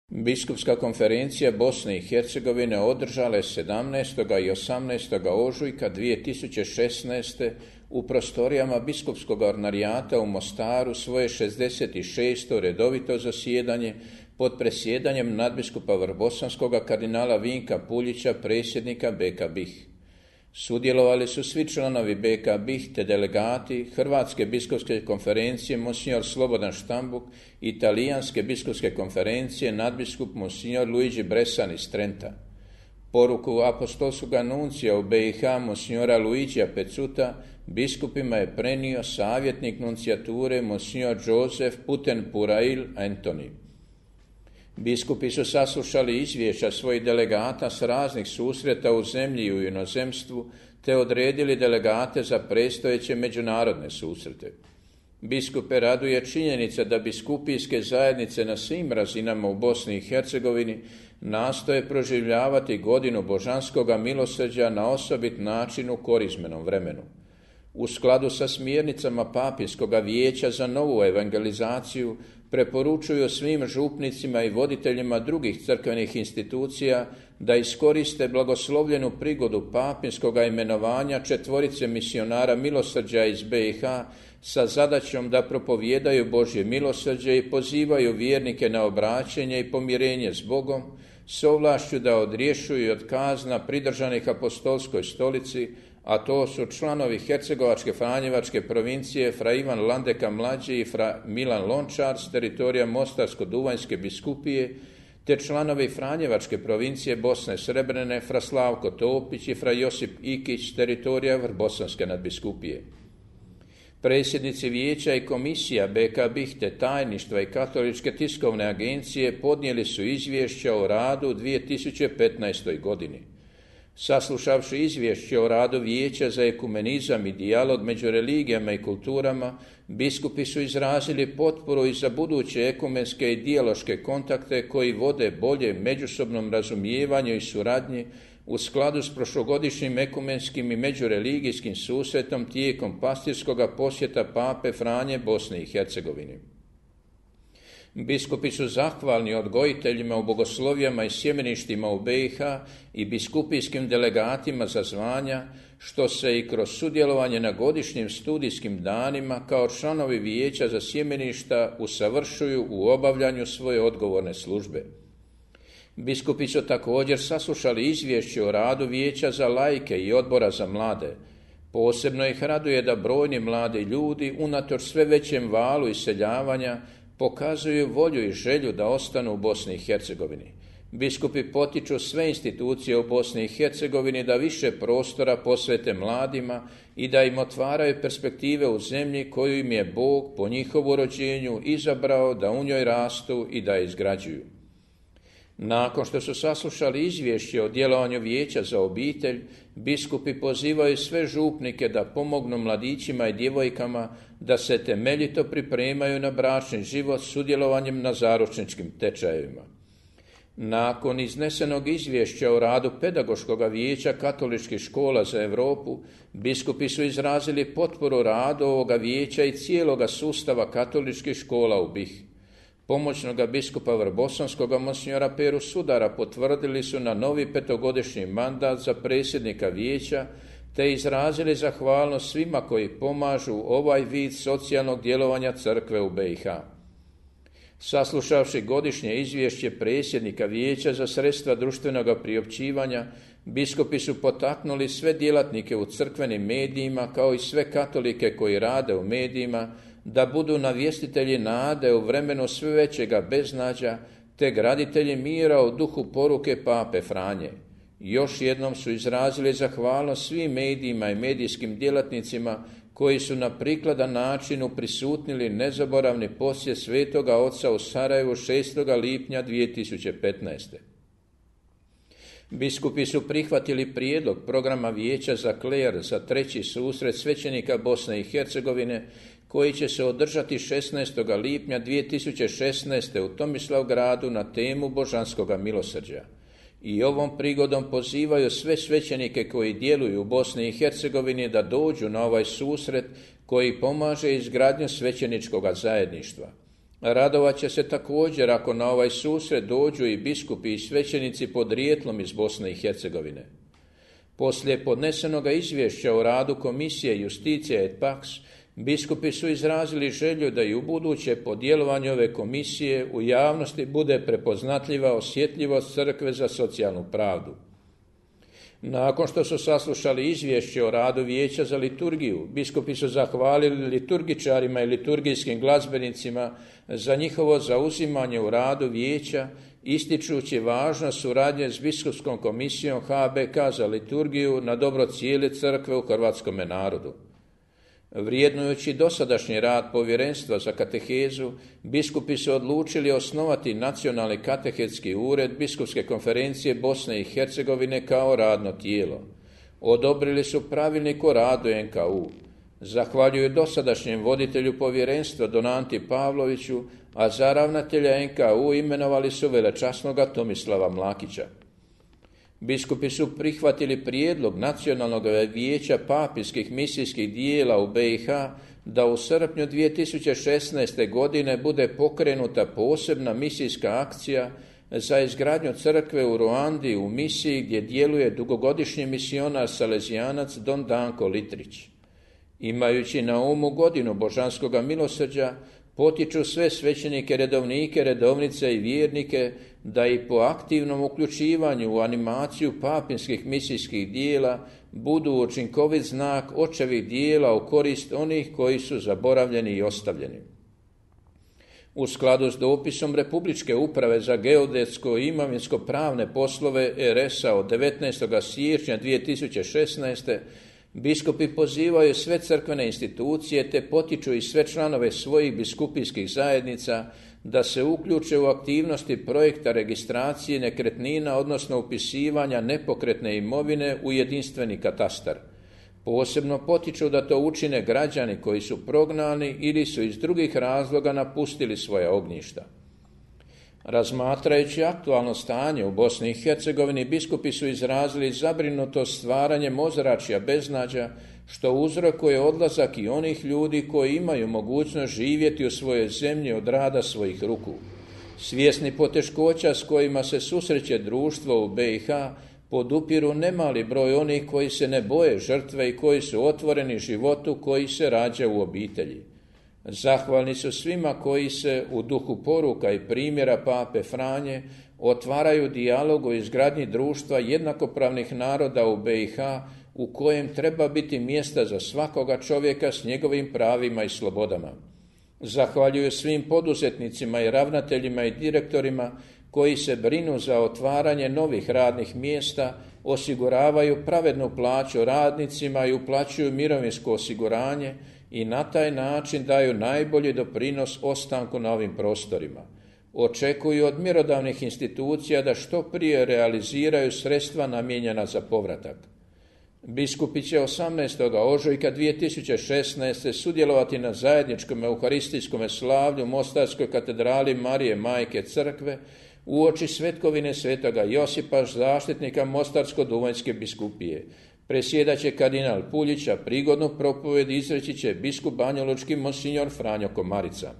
Biskupska konferencija Bosne i Hercegovine održala je 17. i 18. ožujka 2016. u prostorijama Biskupskog ordinarijata u Mostaru svoje 66. redovito zasjedanje pod presjedanjem nadbiskupa Vrbosanskoga kardinala Vinka Puljića, predsjednika BK BiH. Sudjelovali su svi članovi BK BiH te delegati Hrvatske biskupske konferencije monsignor Slobodan Štambuk i Talijanske biskupske konferencije nadbiskup monsignor Luigi Bressan iz Trenta. Poruku apostolskog nuncija u BiH monsignora Luigija Pecuta biskupima je prenio savjetnik nuncijature monsignor Joseph Putenpurail Antoni. Biskupi su saslušali izvješća svojih delegata s raznih susreta u zemlji i u inozemstvu, te odredili delegate za predstojeće međunarodne susrete. Biskupe raduje činjenica da biskupijske zajednice na svim razinama u Bosni i Hercegovini nastoje proživljavati godinu božanskoga milosrđa na osobit način u korizmenom vremenu. U skladu sa smjernicama Papinskoga vijeća za novu evangelizaciju preporučuju svim župnicima i voditeljima drugih crkvenih institucija da iskoriste blagoslovljenu prigodu papinskoga imenovanja 4 misionara milosrđa iz BiH sa zadaćom da propovijedaju Božje milosrđe i pozivaju vjernike na obraćenje i pomirenje s Bogom, s ovlašću da odrješuju od kazna pridržanih apostolskoj stolici, a to su članovi Hercegovačke Franjevačke provincije fra Ivan Landeka mlađi i fra Milan Lončar s teritorija Mostarsko-Duvanjske biskupije, te članovi Franjevačke provincije Bosne Srebrene fra Slavko Topić i fra Josip Ikić s teritorija Vrbosanske nadbiskupije. Predsjednici vijeća i komisija BK BiH te tajništva i Katoličke tiskovne agencije podnijeli su izvješća o radu u 2015. godini. Saslušavši izvješće o radu Vijeća za ekumenizam i dijalog među religijama i kulturama, biskupi su izrazili potporu i za buduće ekumenske i dijaloške kontakte koji vode bolje međusobnom razumijevanju i suradnji u skladu s prošlogodišnjim ekumenskim i međureligijskim susretom tijekom pastirskoga posjeta Pape Franje Bosni i Hercegovini. Biskupi su zahvalni odgojiteljima u bogoslovijama i sjemeništima u BiH i biskupijskim delegatima za zvanja, što se i kroz sudjelovanje na godišnjim studijskim danima kao članovi vijeća za sjemeništa usavršuju u obavljanju svoje odgovorne službe. Biskupi su također saslušali izvješće o radu vijeća za laike i odbora za mlade. Posebno ih raduje da brojni mladi ljudi, unatoč sve većem valu iseljavanja, pokazuju volju i želju da ostanu u Bosni i Hercegovini. Biskupi potiču sve institucije u Bosni i Hercegovini da više prostora posvete mladima i da im otvaraju perspektive u zemlji koju im je Bog po njihovu rođenju izabrao da u njoj rastu i da je izgrađuju. Nakon što su saslušali izvješće o djelovanju Vijeća za obitelj, biskupi pozivaju sve župnike da pomognu mladićima i djevojkama da se temeljito pripremaju na bračni život sudjelovanjem na zaručničkim tečajevima. Nakon iznesenog izvješća o radu Pedagoškog vijeća katoličkih škola za Europu, biskupi su izrazili potporu radu ovoga vijeća i cijeloga sustava katoličkih škola u BiH. Pomoćnoga biskupa Vrbosanskoga monsignora Peru Sudara potvrdili su na novi 5-godišnji mandat za predsjednika vijeća te izrazili zahvalnost svima koji pomažu ovaj vid socijalnog djelovanja crkve u BiH. Saslušavši godišnje izvješće predsjednika vijeća za sredstva društvenoga priopćivanja, biskupi su potaknuli sve djelatnike u crkvenim medijima kao i sve katolike koji rade u medijima da budu navjestitelji nade u vremenu sve većega beznađa te graditelji mira u duhu poruke Pape Franje. Još jednom su izrazili zahvalnost svim medijima i medijskim djelatnicima koji su na prikladan način uprisutnili nezaboravni posjet Svetoga Oca u Sarajevu 6. lipnja 2015. Biskupi su prihvatili prijedlog programa Vijeća za kler za 3. susret svećenika Bosne i Hercegovine koji će se održati 16. lipnja 2016. u Tomislavgradu na temu božanskoga milosrđa. I ovom prigodom pozivaju sve svećenike koji djeluju u Bosni i Hercegovini da dođu na ovaj susret koji pomaže izgradnju svećeničkog zajedništva. Radovat će se također ako na ovaj susret dođu i biskupi i svećenici podrijetlom iz Bosne i Hercegovine. Poslije podnesenoga izvješća o radu Komisije Justicija et Pax, biskupi su izrazili želju da i ubuduće po djelovanju ove komisije u javnosti bude prepoznatljiva osjetljivost crkve za socijalnu pravdu. Nakon što su saslušali izvješće o radu Vijeća za liturgiju, biskupi su zahvalili liturgičarima i liturgijskim glazbenicima za njihovo zauzimanje u radu vijeća, ističući važnost suradnje s biskupskom komisijom HBK za liturgiju na dobro cijele crkve u hrvatskome narodu. Vrijednujući dosadašnji rad povjerenstva za katehezu, biskupi su odlučili osnovati Nacionalni katehetski ured Biskupske konferencije Bosne i Hercegovine kao radno tijelo. Odobrili su pravilnik o radu NKU. Zahvaljuju dosadašnjem voditelju povjerenstva Donanti Pavloviću, a za ravnatelja NKU imenovali su velečasnoga Tomislava Mlakića. Biskupi su prihvatili prijedlog Nacionalnog vijeća papinskih misijskih dijela u BiH da u srpnju 2016. godine bude pokrenuta posebna misijska akcija za izgradnju crkve u Ruandi u misiji gdje djeluje dugogodišnji misionar salezijanac Don Danko Litrić. Imajući na umu godinu božanskoga milosrđa, potiču sve svećenike, redovnike, redovnice i vjernike da i po aktivnom uključivanju u animaciju papinskih misijskih dijela budu učinkovit znak očevih dijela u korist onih koji su zaboravljeni i ostavljeni. U skladu s dopisom Republičke uprave za geodetsko i imovinsko-pravne poslove RS-a od 19. siječnja 2016. biskupi pozivaju sve crkvene institucije te potiču i sve članove svojih biskupijskih zajednica da se uključe u aktivnosti projekta registracije nekretnina, odnosno upisivanja nepokretne imovine u jedinstveni katastar. Posebno potiču da to učine građani koji su prognani ili su iz drugih razloga napustili svoja ognjišta. Razmatrajući aktualno stanje u Bosni i Hercegovini, biskupi su izrazili zabrinutost stvaranjem ozračja beznađa, što uzrokuje odlazak i onih ljudi koji imaju mogućnost živjeti u svojoj zemlji od rada svojih ruku. Svjesni poteškoća s kojima se susreće društvo u BiH, podupiru nemali broj onih koji se ne boje žrtve i koji su otvoreni životu koji se rađa u obitelji. Zahvalni su svima koji se u duhu poruka i primjera Pape Franje otvaraju dijalog o izgradnji društva jednakopravnih naroda u BiH u kojem treba biti mjesta za svakoga čovjeka s njegovim pravima i slobodama. Zahvaljuju svim poduzetnicima i ravnateljima i direktorima koji se brinu za otvaranje novih radnih mjesta, osiguravaju pravednu plaću radnicima i uplaćuju mirovinsko osiguranje i na taj način daju najbolji doprinos ostanku na ovim prostorima. Očekuju od mjerodavnih institucija da što prije realiziraju sredstva namijenjena za povratak. Biskupi će 18. ožujka 2016. sudjelovati na zajedničkom euharistijskom slavlju u Mostarskoj katedrali Marije Majke Crkve uoči svetkovine svetoga Josipa, zaštitnika Mostarsko-duvanjske biskupije. Presjedat će kardinal Puljić, a prigodnu propovjed izreći će biskup banjalučki monsinjor Franjo Komarica.